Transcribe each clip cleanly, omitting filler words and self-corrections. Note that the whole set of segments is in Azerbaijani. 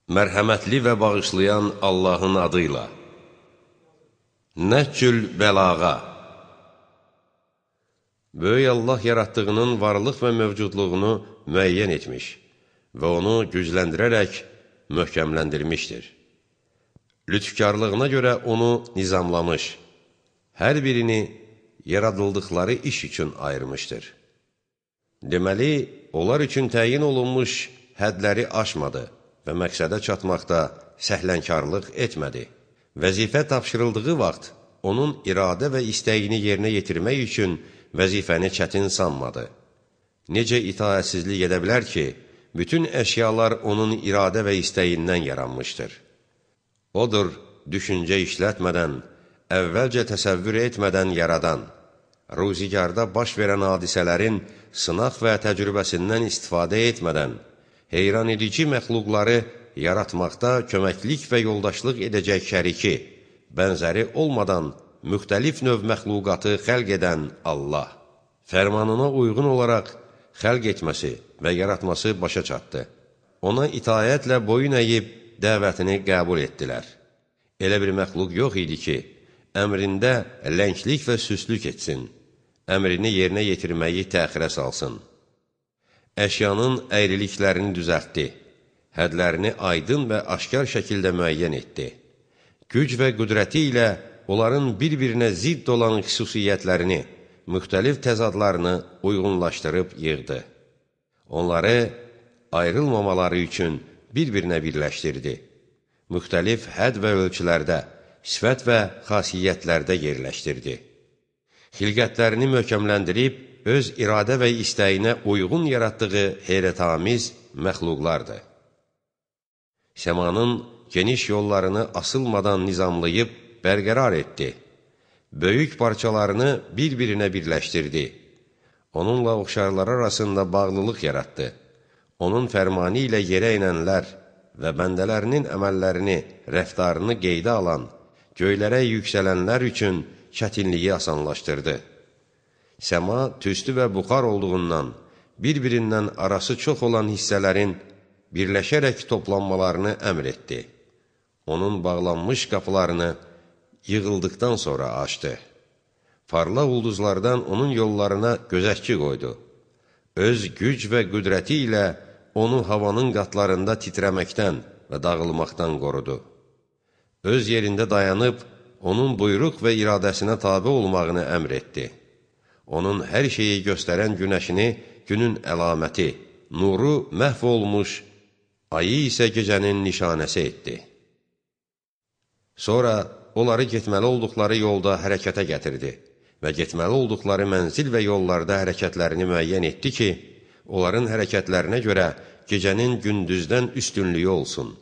Mərhəmətli və bağışlayan Allahın adıyla. Nəhcül bəlağa. Böyük Allah yaratdığının varlıq və mövcudluğunu müəyyən etmiş və onu gücləndirərək möhkəmləndirmişdir. Lütfkarlığına görə onu nizamlamış, hər birini yaradıldıqları iş üçün ayırmışdır. Deməli, onlar üçün təyin olunmuş hədləri aşmadı və məqsədə çatmaqda səhlənkarlıq etmədi. Vəzifə tapşırıldığı vaxt onun iradə və istəyini yerinə yetirmək üçün vəzifəni çətin sanmadı. Necə itaətsizlik edə bilər ki, bütün əşyalar onun iradə və istəyindən yaranmışdır. Odur, düşüncə işlətmədən, əvvəlcə təsəvvür etmədən yaradan, ruzigarda baş verən hadisələrin sınaq və təcrübəsindən istifadə etmədən, heyran edici məxluqları yaratmaqda köməklik və yoldaşlıq edəcək şəriki, bənzəri olmadan müxtəlif növ məxluqatı xəlq edən Allah, fərmanına uyğun olaraq xəlq etməsi və yaratması başa çatdı. Ona itayətlə boyun əyib dəvətini qəbul etdilər. Elə bir məxluq yox idi ki, əmrində lənglik və süslük etsin, əmrini yerinə yetirməyi təxirə salsın. Əşyanın əyriliklərini düzəltdi, hədlərini aydın və aşkar şəkildə müəyyən etdi. Güc və qüdrəti ilə onların bir-birinə zidd olan xüsusiyyətlərini, müxtəlif təzadlarını uyğunlaşdırıb yığdı. Onları ayrılmamaları üçün bir-birinə birləşdirdi. Müxtəlif hədd və ölçülərdə, sifət və xasiyyətlərdə yerləşdirdi. Xilqətlərini möhkəmləndirib, öz iradə və istəyinə uyğun yaratdığı heyrətamiz məxluqlardır. Səmanın geniş yollarını asılmadan nizamlayıb bərqərar etdi. Böyük parçalarını bir-birinə birləşdirdi. Onunla oxşarlar arasında bağlılıq yaratdı. Onun fərmanı ilə yerə inənlər və bəndələrinin əməllərini, rəftarını qeydə alan, göylərə yüksələnlər üçün çətinliyi asanlaşdırdı. Səma tüstü və buxar olduğundan, bir-birindən arası çox olan hissələrin birləşərək toplanmalarını əmr etdi. Onun bağlanmış qapılarını yığıldıqdan sonra açdı. Parlaq ulduzlardan onun yollarına gözətçi qoydu. Öz güc və qüdrəti ilə onu havanın qatlarında titrəməkdən və dağılmaqdan qorudu. Öz yerində dayanıb, onun buyruq və iradəsinə tabe olmağını əmr etdi. Onun hər şeyi göstərən günəşini günün əlaməti, nuru məhv olmuş, ayı isə gecənin nişanəsi etdi. Sonra onları getməli olduqları yolda hərəkətə gətirdi və getməli olduqları mənzil və yollarda hərəkətlərini müəyyən etdi ki, onların hərəkətlərinə görə gecənin gündüzdən üstünlüyü olsun.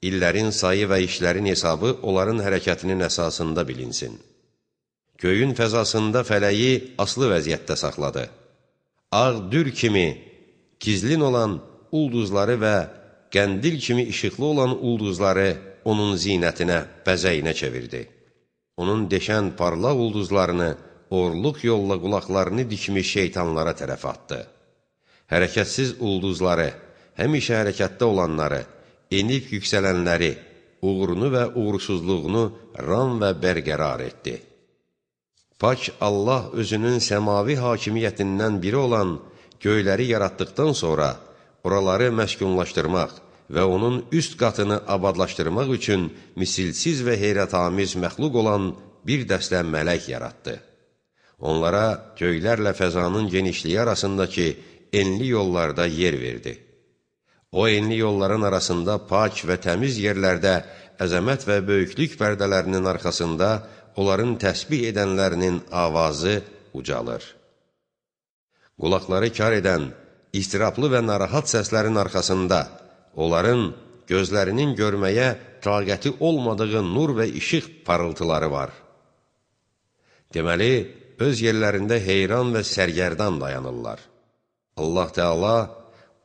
İllərin sayı və işlərin hesabı onların hərəkətinin əsasında bilinsin. Göyün fəzasında fələyi aslı vəziyyətdə saxladı. Ağ dür kimi gizlin olan ulduzları və qəndil kimi işıqlı olan ulduzları onun zinətinə, bəzəyinə çevirdi. Onun deşən parlaq ulduzlarını, orluq yolla qulaqlarını dikmiş şeytanlara tərəf atdı. Hərəkətsiz ulduzları, həmişə hərəkətdə olanları, enib yüksələnləri, uğurunu və uğursuzluğunu ram və bərqərar etdi. Pak Allah özünün səmavi hakimiyyətindən biri olan göyləri yaratdıqdan sonra oraları məskunlaşdırmaq və onun üst qatını abadlaşdırmaq üçün misilsiz və heyrətamiz məxluq olan bir dəstə mələk yaratdı. Onlara göylərlə fəzanın genişliyi arasındakı enli yollarda yer verdi. O enli yolların arasında pak və təmiz yerlərdə əzəmət və böyüklük pərdələrinin arxasında onların təsbih edənlərinin avazı ucalır. Qulaqları kar edən, istiraplı və narahat səslərin arxasında onların gözlərinin görməyə taqəti olmadığı nur və işıq parıltıları var. Deməli, öz yerlərində heyran və sərgərdan dayanırlar. Allah Teala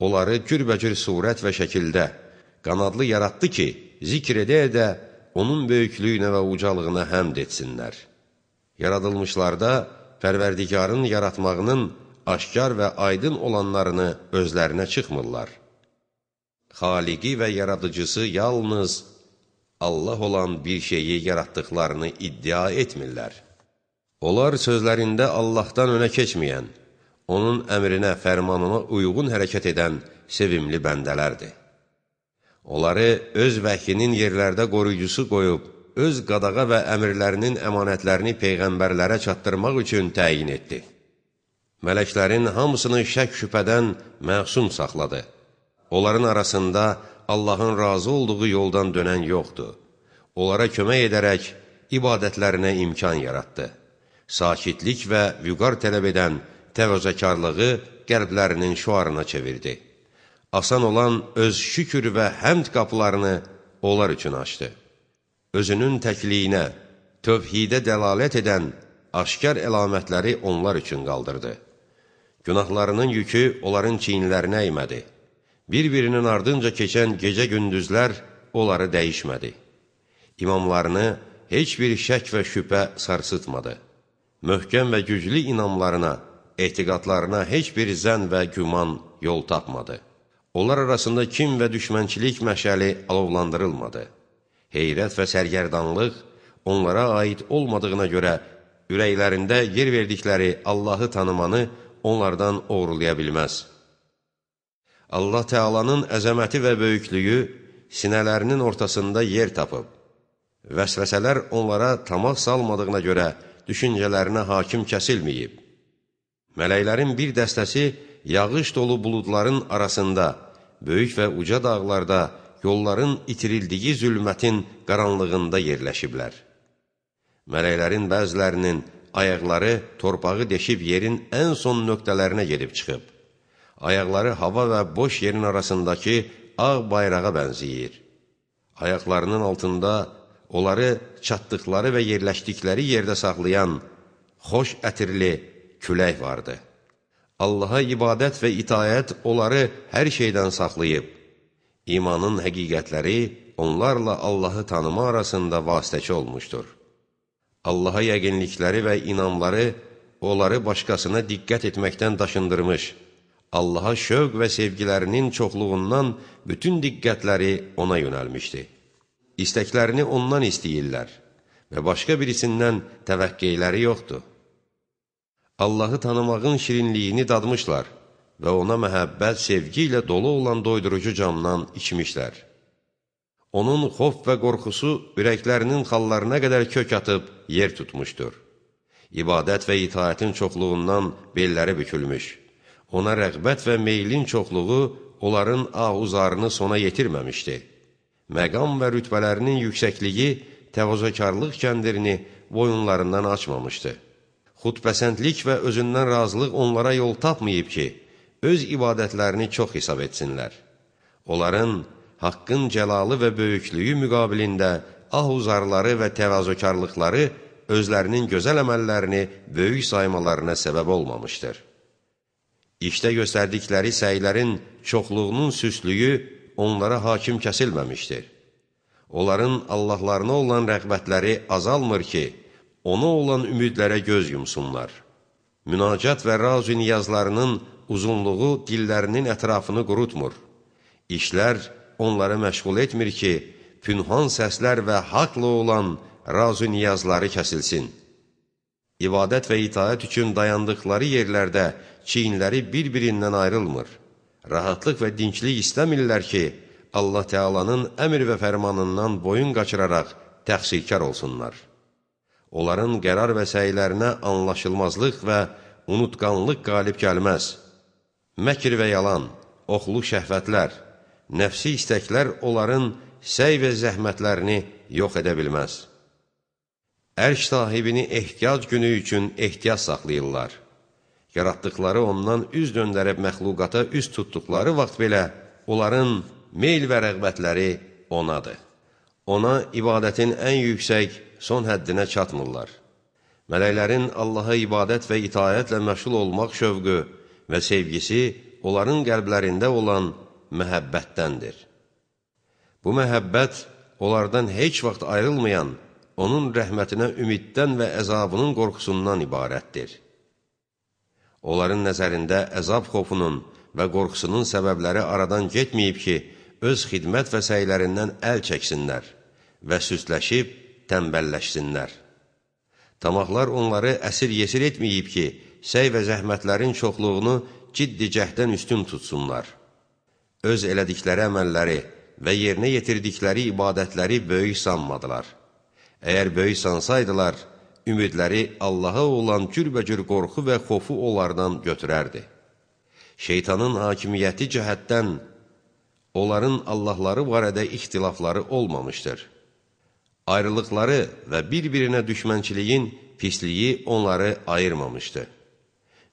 onları cürbəcür surət və şəkildə qanadlı yaratdı ki, zikr edə-edə onun böyüklüyünə və ucalığına həmd etsinlər. Yaradılmışlarda Pərverdigarın yaratmağının aşkar və aydın olanlarını özlərinə çıxmırlar. xaliqi və yaradıcısı yalnız Allah olan bir şeyi yaratdıqlarını iddia etmirlər. Onlar sözlərində Allahdan önə keçməyən, onun əmrinə, fərmanına uyğun hərəkət edən sevimli bəndələrdir. Onları öz vəhyinin yerlərdə qoruyucusu qoyub, öz qadağa və əmirlərinin əmanətlərini peyğəmbərlərə çatdırmaq üçün təyin etdi. Mələklərin hamısını şək-şübhədən məsum saxladı. Onların arasında Allahın razı olduğu yoldan dönən yoxdur. Onlara kömək edərək ibadətlərinə imkan yaratdı. Sakitlik və vüqar tələb edən təvəzzəkarlığı qəlblərinin şüarına çevirdi. Asan olan öz şükür və həmd qapılarını onlar üçün açdı. Özünün təkliyinə, tövhidə dəlalət edən aşkar əlamətləri onlar üçün qaldırdı. Günahlarının yükü onların çiyinlərinə əymədi. Bir-birinin ardınca keçən gecə-gündüzlər onları dəyişmədi. İmamlarını heç bir şək və şübhə sarsıtmadı. Möhkəm və güclü inamlarına, etiqadlarına heç bir zənn və güman yol tapmadı. Onlar arasında kin və düşmənçilik məşəli alovlandırılmadı. Heyrət və sərgərdanlıq onlara aid olmadığına görə ürəklərində yer verdikləri Allahı tanımanı onlardan oğurlaya bilməz. Allah Teala'nın əzəməti və böyüklüyü sinələrinin ortasında yer tapıb. Vəsvəsələr onlara tamah salmadığına görə düşüncələrinə hakim kəsilməyib. Mələklərin bir dəstəsi yağış dolu buludların arasında, böyük və uca dağlarda, yolların itirildiyi zülmətin qaranlığında yerləşiblər. Mələklərin bəzilərinin ayaqları torpağı deşib yerin ən son nöqtələrinə gedib çıxıb. Ayaqları hava və boş yerin arasındakı ağ bayrağa bənziyir. Ayaqlarının altında onları çatdıqları və yerləşdikləri yerdə saxlayan xoş ətirli külək vardı. Allaha ibadət və itayət onları hər şeydən saxlayıb. İmanın həqiqətləri onlarla Allahı tanıma arasında vasitəçi olmuşdur. Allaha yəqinlikləri və inamları onları başqasına diqqət etməkdən daşındırmış. Allaha şövq və sevgilərinin çoxluğundan bütün diqqətləri ona yönəlmişdi. İstəklərini ondan istəyirlər və başqa birisindən təvəqqeyləri yoxdur. Allahı tanımağın şirinliyini dadmışlar və ona məhəbbət, sevgi ilə dolu olan doydurucu camdan içmişlər. Onun xof və qorxusu ürəklərinin xallarına qədər kök atıb yer tutmuşdur. İbadət və itaətin çoxluğundan belləri bükülmüş. Ona rəğbət və meylin çoxluğu onların ahuzarını sona yetirməmişdi. Məqam və rütbələrinin yüksəkliyi təvazökarlıq kəndirini boyunlarından açmamışdı. Xudpəsəndlik və özündən razılıq onlara yol tapmayıb ki, öz ibadətlərini çox hesab etsinlər. Onların haqqın cəlalı və böyüklüyü müqabilində ahuzarları və təvazökarlıqları özlərinin gözəl əməllərini böyük saymalarına səbəb olmamışdır. İşdə göstərdikləri səylərin çoxluğunun süslüyü onlara hakim kəsilməmişdir. Onların Allahlarına olan rəğbətləri azalmır ki, ona olan ümidlərə göz yumsunlar. Münacat və raz-ı niyazlarının uzunluğu dillərinin ətrafını qurutmur. İşlər onları məşğul etmir ki, pünhan səslər və haqlı olan raz-ı niyazları kəsilsin. İbadət və itaət üçün dayandıqları yerlərdə çiyinləri bir-birindən ayrılmır. Rahatlıq və dinçlik istəmirlər ki, Allah Teala'nın əmr və fərmanından boyun qaçıraraq təqsirkar olsunlar. Onların qərar və səylərinə anlaşılmazlıq və unutqanlıq qalib gəlməz. Məkr və yalan, oxlu şəhvətlər, nəfsi istəklər onların səy və zəhmətlərini yox edə bilməz. Ərş sahibini ehtiyac günü üçün ehtiyac saxlayırlar. Yaratdıqları ondan üz döndərib məxluqata üz tutduqları vaxt belə onların meyl və rəğbətləri onadır. Ona ibadətin ən yüksək son həddinə çatmırlar. Mələklərin Allaha ibadət və itayətlə məşğul olmaq şövqü və sevgisi onların qəlblərində olan məhəbbətdəndir. Bu məhəbbət onlardan heç vaxt ayrılmayan, onun rəhmətinə ümiddən və əzabının qorxusundan ibarətdir. Onların nəzərində əzab xofunun və qorxusunun səbəbləri aradan getməyib ki, öz xidmət və səylərindən əl çəksinlər və süsləşib tənbəlləşsinlər. Tamaqlar onları əsir yesir etməyib ki, səy və zəhmətlərin çoxluğunu ciddi cəhdən üstün tutsunlar. Öz elədikləri əməlləri və yerinə yetirdikləri ibadətləri böyük sanmadılar. Əgər böyük sansaydılar, ümidləri Allaha olan cürbəcür qorxu və xofu onlardan götürərdi. Şeytanın hakimiyyəti cəhətdən onların Allahları barədə ixtilafları olmamışdır. Ayrılıqları və bir-birinə düşmənçiliyin pisliyi onları ayırmamışdı.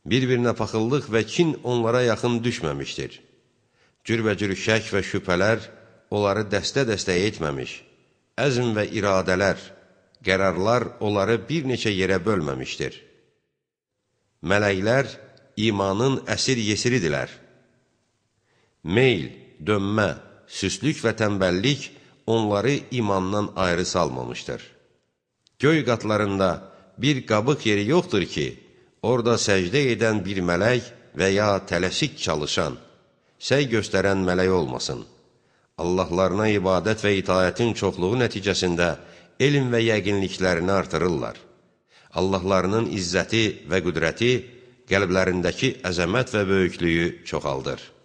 Bir-birinə paxıllıq və kin onlara yaxın düşməmişdir. Cürbəcür şək və şübhələr onları dəstə-dəstə etməmiş, əzm və iradələr, qərarlar onları bir neçə yerə bölməmişdir. Mələklər imanın əsir yesiridirlər. Meyl, dönmə, süslük və tənbəllik onları imandan ayrı salmamışdır. Göy qatlarında bir qabıq yeri yoxdur ki, orada səcdə edən bir mələk və ya tələsik çalışan, səy göstərən mələk olmasın. Allahlarına ibadət və itayətin çoxluğu nəticəsində elm və yəqinliklərini artırırlar. Allahlarının izzəti və qüdrəti qəlblərindəki əzəmət və böyüklüyü çoxaldır.